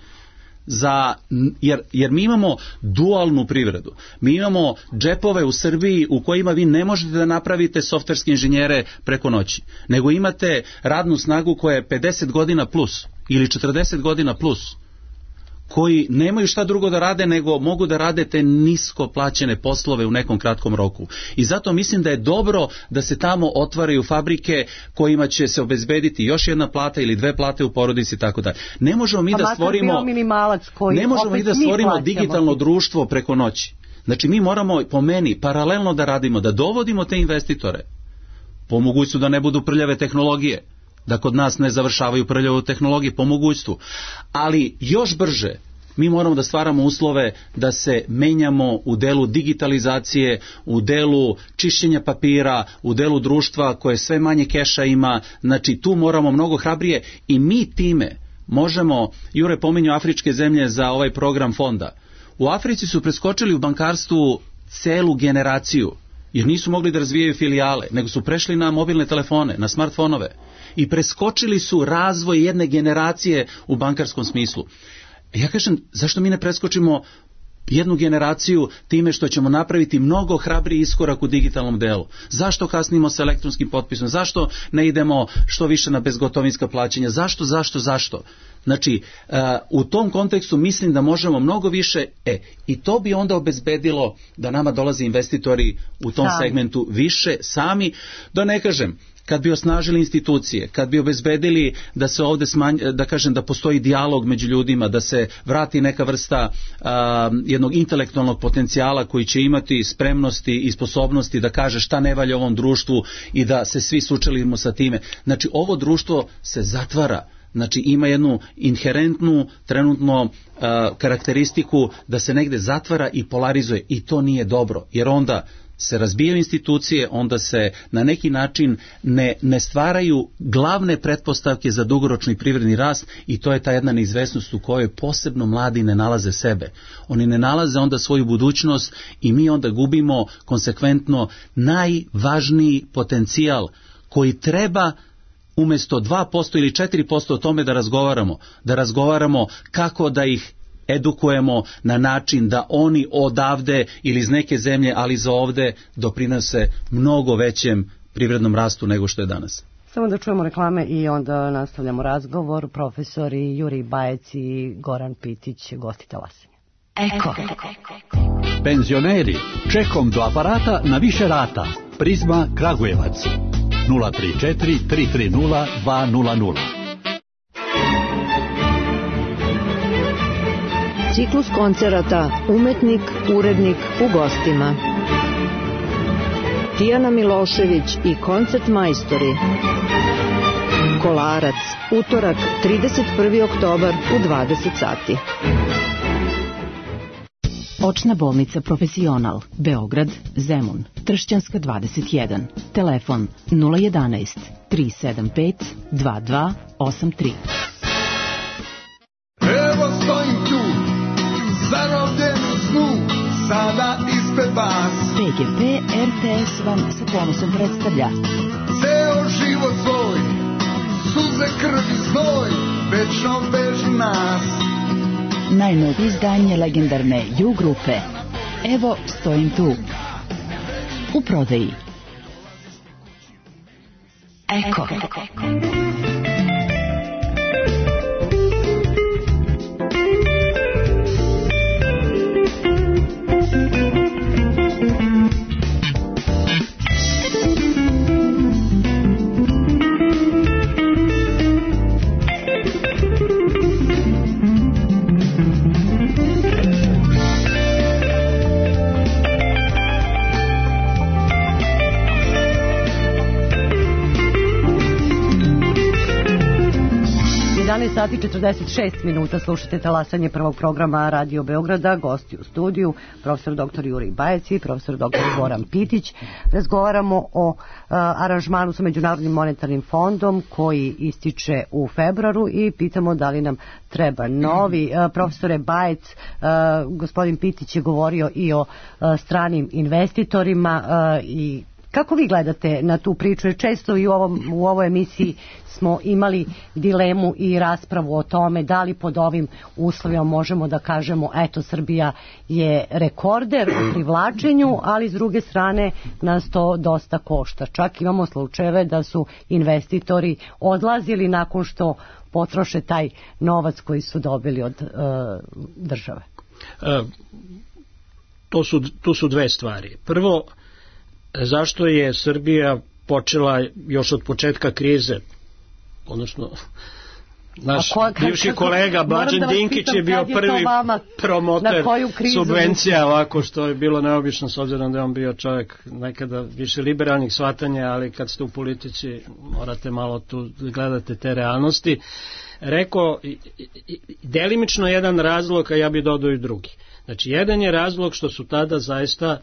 Za, jer, jer mi imamo dualnu privredu. Mi imamo džepove u Srbiji u kojima vi ne možete da napravite softverske inženjere preko noći, nego imate radnu snagu koja je pedeset godina plus ili četrdeset godina plus, koji nemaju šta drugo da rade nego mogu da rade te nisko plaćene poslove u nekom kratkom roku. I zato mislim da je dobro da se tamo otvaraju fabrike kojima će se obezbediti još jedna plata ili dve plate u porodici i tako dalje. Ne možemo mi da stvorimo ne možemo mi da stvorimo digitalno društvo preko noći. Znači, mi moramo, po meni, paralelno da radimo, da dovodimo te investitore, po mogućstvu da ne budu prljave tehnologije, da kod nas ne završavaju prljavu tehnologiju po mogućstvu. Ali još brže mi moramo da stvaramo uslove da se menjamo u delu digitalizacije, u delu čišćenja papira, u delu društva koje sve manje keša ima. Znači, tu moramo mnogo hrabrije i mi time možemo, Jure pominju afričke zemlje za ovaj program fonda. U Africi su preskočili u bankarstvu celu generaciju, jer nisu mogli da razvijaju filijale, nego su prešli na mobilne telefone, na smartfonove. I preskočili su razvoj jedne generacije u bankarskom smislu. Ja kažem, zašto mi ne preskočimo jednu generaciju time što ćemo napraviti mnogo hrabriji iskorak u digitalnom delu? Zašto kasnimo sa elektronskim potpisom? Zašto ne idemo što više na bezgotovinska plaćanja? Zašto, zašto, zašto? Znači, uh, u tom kontekstu mislim da možemo mnogo više, e, i to bi onda obezbedilo da nama dolaze investitori u tom sami. segmentu više sami, da ne kažem, kad bi osnažili institucije, kad bi obezbedili da se ovde smanj, da kažem da postoji dijalog među ljudima, da se vrati neka vrsta a, jednog intelektualnog potencijala koji će imati spremnosti i sposobnosti da kaže šta ne valja ovom društvu i da se svi sučelimo sa time. Znači, ovo društvo se zatvara. Znači, ima jednu inherentnu trenutno uh, karakteristiku da se negde zatvara i polarizuje i to nije dobro, jer onda se razbijaju institucije, onda se na neki način ne, ne stvaraju glavne pretpostavke za dugoročni privredni rast i to je ta jedna neizvesnost u kojoj posebno mladi ne nalaze sebe. Oni ne nalaze onda svoju budućnost i mi onda gubimo konsekventno najvažniji potencijal koji treba umjesto dva posto ili četiri posto o tome da razgovaramo, da razgovaramo kako da ih edukujemo na način da oni odavde ili iz neke zemlje, ali za ovde doprinose mnogo većem privrednom rastu nego što je danas. Samo da čujemo reklame i onda nastavljamo razgovor. Profesori Jurij Bajec i Goran Pitić, gosti Talasanja. Eko. Penzioneri, čekom do aparata na više rata. Prizma Kragujevac. nula tri četiri tri tri nula dva nula nula. Ciklus koncerata Umetnik, urednik u gostima. Tijana Milošević i koncert majstori. Kolarac, utorak, trideset prvi oktobar u dvadeset sati. Očna bolnica Profesional, Beograd, Zemun, Tršćanska dvadeset jedan. Telefon nula jedanaest tri sedam pet dva dva osam tri. Evo stojim tu, zarobljen u snu, sada ispred vas. P G P R T S vam sa ponosom predstavlja Ceo život svoj, suze, krv i znoj, večno vežu nas. najnovije izdanje legendarne Ju grupe. Evo stojim tu. U prodaji. Eko. jedanaest sati četrdeset šest minuta, slušate Talasanje prvog programa Radio Beograda, gosti u studiju, profesor doktor Jurij Bajec i profesor doktor Goran Pitić. Razgovaramo o uh, aranžmanu sa Međunarodnim monetarnim fondom koji ističe u februaru i pitamo da li nam treba novi. Uh, profesore Bajec, uh, gospodin Pitić je govorio i o uh, stranim investitorima uh, i kako vi gledate na tu priču? Jer često i u, ovom, u ovoj emisiji smo imali dilemu i raspravu o tome da li pod ovim uslovima možemo da kažemo eto Srbija je rekorder u privlačenju, ali s druge strane nas to dosta košta. Čak imamo slučajeve da su investitori odlazili nakon što potroše taj novac koji su dobili od uh, države. Uh, to su, tu su dve stvari. Prvo, zašto je Srbija počela još od početka krize, odnosno naš ko, bivši kolega Mlađan da Dinkić pitam, je bio je prvi promoter subvencija, ovako što je bilo neobično s obzirom da je on bio čovjek nekada više liberalnih shvatanja, ali kad ste u politici morate malo tu gledate te realnosti. Rekao, delimično jedan razlog, a ja bih dodao i drugi. Znači, jedan je razlog što su tada zaista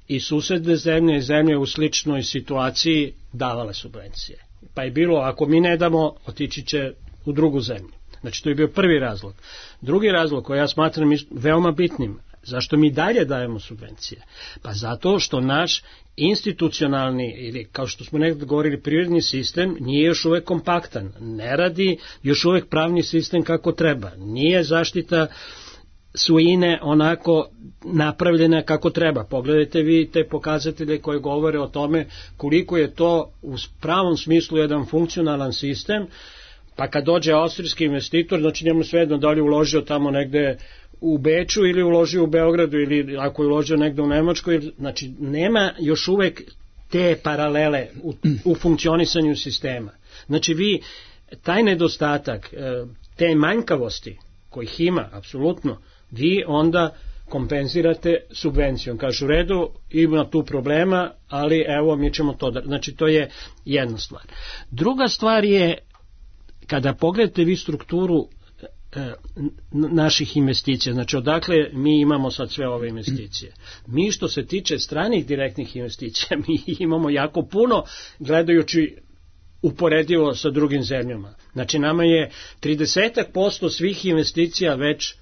i susedne zemlje i zemlje u sličnoj situaciji davale subvencije. Pa je bilo, ako mi ne damo, otići će u drugu zemlju. Znači, to je bio prvi razlog. Drugi razlog koji ja smatram veoma bitnim, zašto mi dalje dajemo subvencije? Pa zato što naš institucionalni, ili kao što smo nekada govorili, privredni sistem nije još uvek kompaktan. Ne radi još uvek pravni sistem kako treba. Nije zaštita svojine onako napravljena kako treba. Pogledajte vi te pokazatelje koje govore o tome koliko je to u pravom smislu jedan funkcionalan sistem, pa kad dođe austrijski investitor, znači njemu svejedno da li uložio tamo negde u Beču ili uložio u Beogradu ili ako je uložio negde u Nemačkoj, znači nema još uvek te paralele u, u funkcionisanju sistema. Znači vi taj nedostatak, te manjkavosti kojih ima, apsolutno, vi onda kompenzirate subvencijom. Kažu, u redu, ima tu problema, ali evo, mi ćemo to da... Znači, to je jedna stvar. Druga stvar je, kada pogledate vi strukturu e, naših investicija. Znači, odakle mi imamo sad sve ove investicije? Mi što se tiče stranih direktnih investicija, mi imamo jako puno, gledajući uporedivo sa drugim zemljama. Znači, nama je trideset posto svih investicija već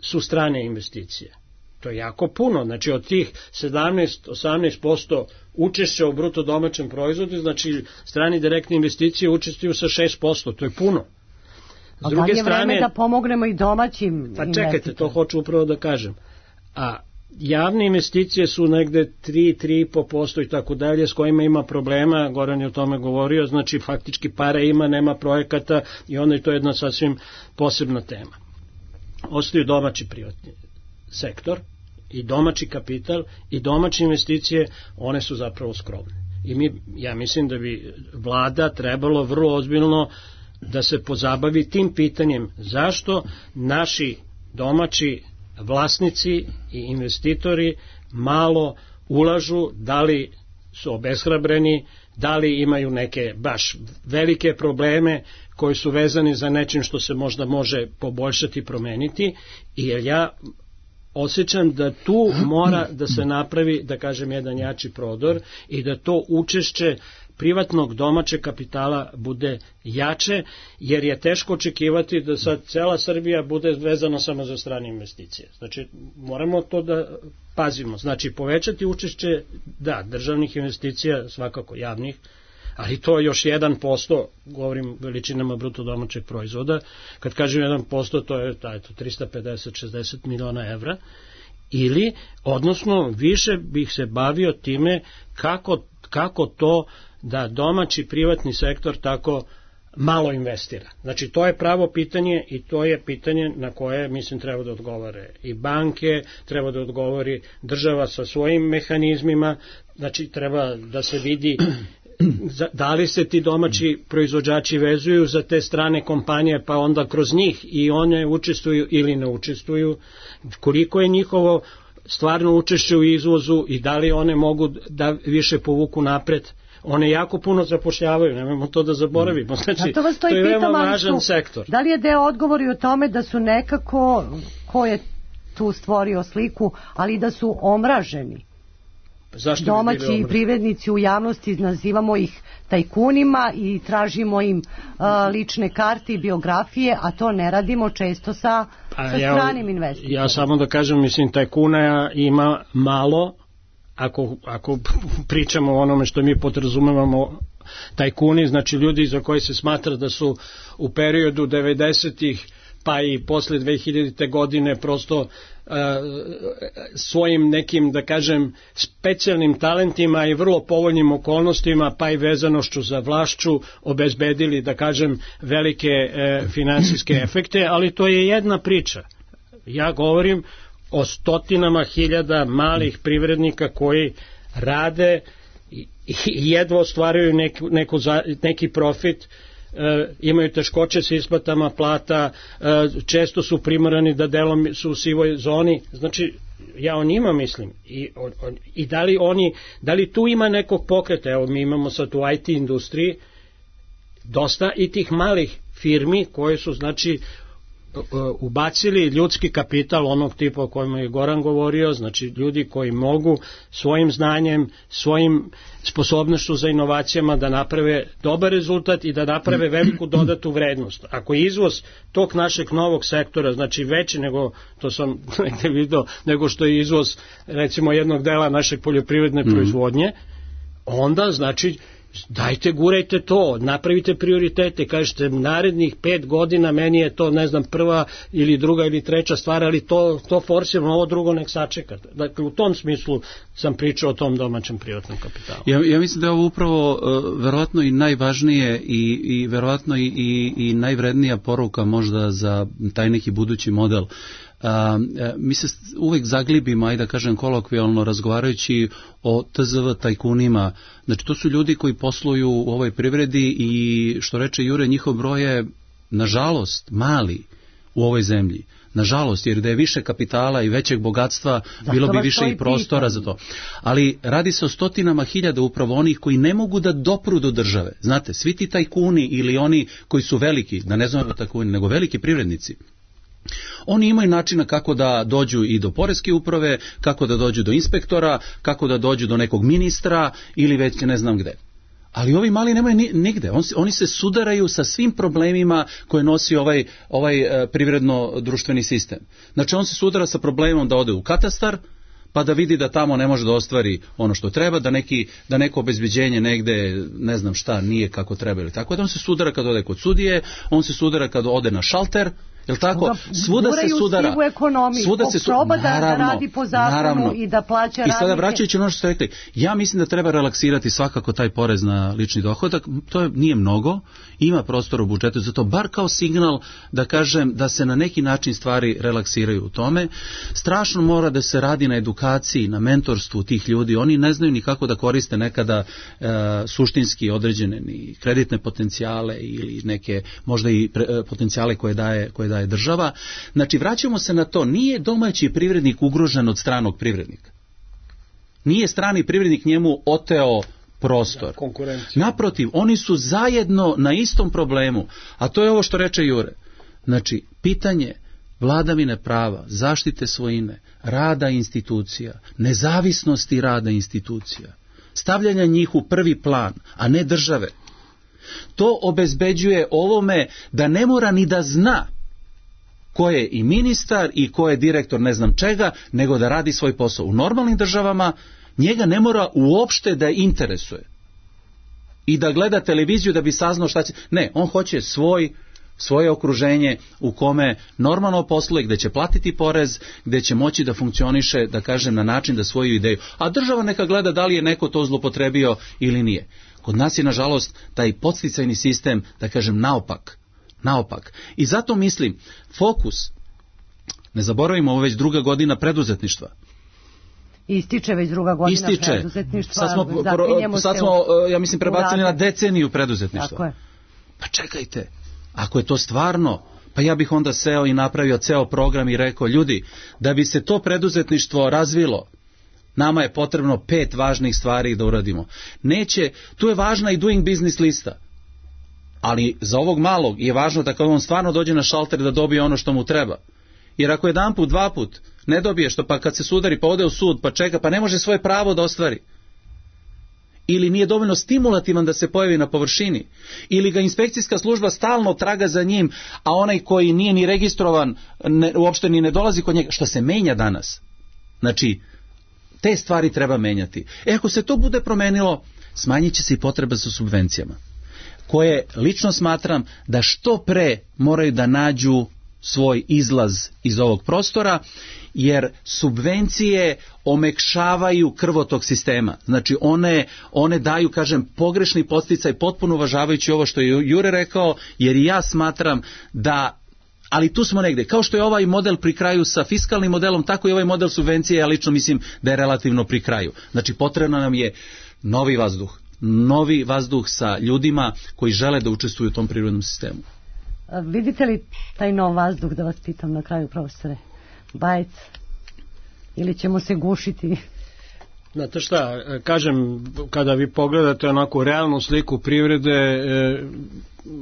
su strane investicije. To je jako puno. Znači, od tih sedamnaest do osamnaest posto učešća u bruto domaćem proizvodu, znači, strani direktne investicije učestvuju sa šest posto. To je puno. S druge strane, da li je vreme da pomognemo i domaćim investicijama? Pa čekajte, to hoću upravo da kažem. A javne investicije su negde tri do tri i po posto i tako dalje, s kojima ima problema, Goran je o tome govorio, znači faktički pare ima, nema projekata i onda je to jedna sasvim posebna tema. Ostaju domaći privatni sektor i domaći kapital i domaće investicije, one su zapravo skromne. I mi, ja mislim da bi vlada trebalo vrlo ozbiljno da se pozabavi tim pitanjem zašto naši domaći vlasnici i investitori malo ulažu, da li su obeshrabreni, da li imaju neke baš velike probleme koji su vezani za nečim što se možda može poboljšati i promeniti, jer ja osjećam da tu mora da se napravi, da kažem, jedan jači prodor i da to učešće privatnog domaćeg kapitala bude jače, jer je teško očekivati da sad cela Srbija bude vezana samo za strane investicije. Znači, moramo to da pazimo. Znači, povećati učešće, da, državnih investicija, svakako javnih, ali to je još jedan posto, govorim veličinama bruto domaćeg proizvoda. Kad kažem jedan posto, to je taj, to trista pedeset do šezdeset miliona evra. Ili, odnosno, više bih se bavio time kako, kako to da domaći privatni sektor tako malo investira. Znači, to je pravo pitanje i to je pitanje na koje, mislim, treba da odgovore i banke, treba da odgovori država sa svojim mehanizmima, znači, treba da se vidi da li se ti domaći proizvođači vezuju za te strane kompanije, pa onda kroz njih i one učestvuju ili ne učestvuju, koliko je njihovo stvarno učešće u izvozu i da li one mogu da više povuku napred. One jako puno zapošljavaju, nemojmo to da zaboravimo. Znači, to, to je veoma važan sektor. Da li je deo odgovori o tome da su nekako, ko je tu stvorio sliku, ali da su omraženi? Zašto domaći bi privrednici u javnosti, nazivamo ih tajkunima i tražimo im uh, lične karte i biografije, a to ne radimo često sa, sa ja, stranim investitorima. Ja samo da kažem, mislim, tajkuna ima malo, ako, ako pričamo o onome što mi podrazumevamo tajkuni, znači ljudi za koje se smatra da su u periodu devedesetih pa i posle dve hiljadite godine prosto uh, svojim nekim, da kažem, specijalnim talentima i vrlo povoljnim okolnostima, pa i vezanošću za vlašću, obezbedili, da kažem, velike uh, finansijske efekte, ali to je jedna priča. Ja govorim o stotinama hiljada malih privrednika koji rade i, i jedva ostvaruju neku, neku, neki profit, E, imaju teškoće sa isplatama plata, e, često su primorani da delom su u sivoj zoni. Znači, ja o njima mislim i, on, on, i da li oni, da li tu ima nekog pokreta? Evo, mi imamo sad u I T industriji dosta i tih malih firmi koje su, znači, ubacili ljudski kapital onog tipa o kojem je Goran govorio, znači ljudi koji mogu svojim znanjem, svojim sposobnošću za inovacijama da naprave dobar rezultat i da naprave veliku dodatu vrednost. Ako je izvoz tog našeg novog sektora, znači veći nego, to sam negde vidio, nego što je izvoz recimo jednog dela našeg poljoprivredne mm. proizvodnje, onda znači dajte, gurajte to, napravite prioritete, kažete narednih pet godina meni je to, ne znam, prva ili druga ili treća stvar, ali to, to forsiramo, ovo drugo nek sačekate. Dakle, u tom smislu sam pričao o tom domaćem privatnom kapitalu. Ja, ja mislim da je ovo upravo uh, verovatno i najvažnije i, i verovatno i, i, i najvrednija poruka možda za taj neki budući model. Uh, mi se uvek zaglibimo, ajde da kažem kolokvijalno, razgovarajući o T Z V tajkunima. Znači, to su ljudi koji posluju u ovoj privredi i, što reče Jure, njihov broj je, nažalost, mali u ovoj zemlji. Nažalost, jer da je više kapitala i većeg bogatstva, zato bilo bi više i prostora za to. Ali radi se o stotinama hiljada upravo onih koji ne mogu da dopru do države. Znate, svi ti tajkuni ili oni koji su veliki, da ne znamo tajkuni, nego veliki privrednici, oni imaju načina kako da dođu i do poreske uprave, kako da dođu do inspektora, kako da dođu do nekog ministra ili već ne znam gde. Ali ovi mali nemaju ni, nigde. On, oni se sudaraju sa svim problemima koje nosi ovaj, ovaj e, privredno-društveni sistem. Znači on se sudara sa problemom da ode u katastar, pa da vidi da tamo ne može da ostvari ono što treba, da, neki, da neko obezbeđenje negde, ne znam šta, nije kako treba ili tako. Da on se sudara kad ode kod sudije, on se sudara kad ode na šalter, jel tako? Svuda se sudara. Svuda se proba da, da radi po zakonu naravno. I da plaća radnike. I sada vraćajući ono što ste rekli, ja mislim da treba relaksirati svakako taj porez na lični dohodak, to je, nije mnogo, ima prostora u budžetu, zato bar kao signal da kažem da se na neki način stvari relaksiraju u tome. Strašno mora da se radi na edukaciji, na mentorstvu tih ljudi, oni ne znaju ni kako da koriste nekada e, suštinski određene ni kreditne potencijale ili neke možda i pre, potencijale koje daje, koje daje država. Znači, vraćamo se na to, nije domaći privrednik ugrožen od stranog privrednika. Nije strani privrednik njemu oteo prostor. Naprotiv, oni su zajedno na istom problemu, a to je ovo što reče Jure. Znači, pitanje vladavine prava, zaštite svojine, rada institucija, nezavisnosti rada institucija, stavljanja njih u prvi plan, a ne države. To obezbeđuje ovome da ne mora ni da zna ko je i ministar i ko je direktor ne znam čega, nego da radi svoj posao. U normalnim državama njega ne mora uopšte da interesuje i da gleda televiziju da bi saznao šta će. Ne, on hoće svoj, svoje okruženje u kome normalno posluje, gde će platiti porez, gde će moći da funkcioniše, da kažem, na način da svoju ideju. A država neka gleda da li je neko to zlopotrebio ili nije. Kod nas je, nažalost, taj podsticajni sistem, da kažem, naopak. Naopak. I zato mislim, fokus, ne zaboravimo, ovo već druga godina preduzetništva. Ističe već druga godina Ističe. preduzetništva. Sad smo, pro, sad smo ja mislim, prebacili na deceniju preduzetništva. Tako je. Pa čekajte, ako je to stvarno, pa ja bih onda seo i napravio ceo program i rekao, ljudi, da bi se to preduzetništvo razvilo, nama je potrebno pet važnih stvari da uradimo. Neće, tu je važna i doing business lista. Ali za ovog malog je važno da kad on stvarno dođe na šalter da dobije ono što mu treba. Jer ako jedan put, dva put ne dobije što, pa kad se sudari pa ode u sud pa čeka, pa ne može svoje pravo da ostvari. Ili nije dovoljno stimulativan da se pojavi na površini. Ili ga inspekcijska služba stalno traga za njim, a onaj koji nije ni registrovan ne, uopšte ni ne dolazi kod njega. Što se menja danas? Znači, te stvari treba menjati. E ako se to bude promenilo, smanjit će se i potreba za subvencijama, koje lično smatram da što pre moraju da nađu svoj izlaz iz ovog prostora, jer subvencije omekšavaju krvotok sistema. Znači one, one daju, kažem, pogrešni podsticaj, potpuno uvažavajući ovo što je Jure rekao, jer i ja smatram da, ali tu smo negde, kao što je ovaj model pri kraju sa fiskalnim modelom, tako i ovaj model subvencije, ja lično mislim da je relativno pri kraju. Znači potrebno nam je novi vazduh. novi vazduh sa ljudima koji žele da učestvuju u tom prirodnom sistemu. A vidite li taj nov vazduh, da vas pitam na kraju, profesore? Bajec? Ili ćemo se gušiti? Znate šta, kažem, kada vi pogledate onako realnu sliku privrede, e,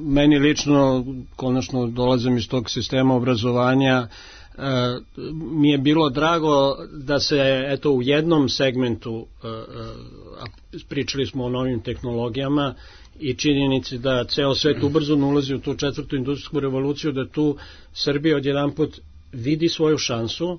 meni lično, konačno dolazim iz tog sistema obrazovanja, e, mi je bilo drago da se eto u jednom segmentu, e, e, pričali smo o novim tehnologijama i činjenici da ceo svet ubrzano ulazi u tu četvrtu industrijsku revoluciju, da tu Srbija odjedanput vidi svoju šansu.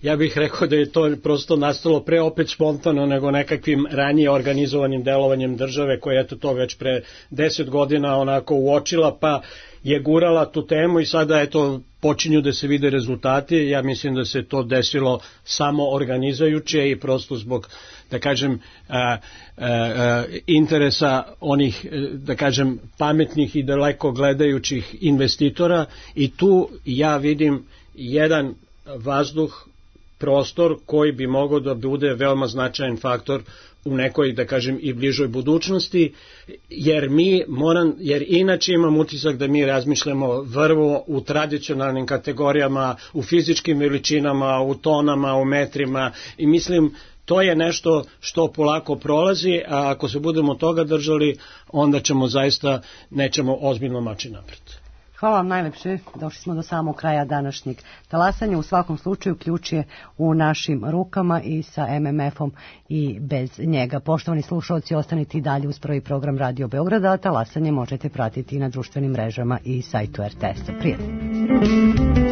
Ja bih rekao da je to prosto nastalo pre opet spontano nego nekakvim ranije organizovanim delovanjem države koja je to već pre deset godina onako uočila pa je gurala tu temu i sada eto počinju da se vide rezultati. Ja mislim da se to desilo samo organizajuće i prosto zbog, da kažem, a, a, a, interesa onih, da kažem, pametnih i daleko gledajućih investitora i tu ja vidim jedan vazduh, prostor koji bi mogao da bude veoma značajan faktor u nekoj, da kažem, i bližoj budućnosti, jer mi moram, jer inače imam utisak da mi razmišljamo vrlo u tradicionalnim kategorijama, u fizičkim veličinama, u tonama, u metrima, i mislim to je nešto što polako prolazi, a ako se budemo toga držali, onda ćemo zaista, nećemo ozbiljno mači napred. Hvala vam najlepše, došli smo do samog kraja današnjeg talasanja. U svakom slučaju ključ je u našim rukama i sa em em efom i bez njega. Poštovani slušalci, ostanite i dalje uz prvi program Radio Beograda, a talasanje možete pratiti i na društvenim mrežama i sajtu er te es-a. Prijatno.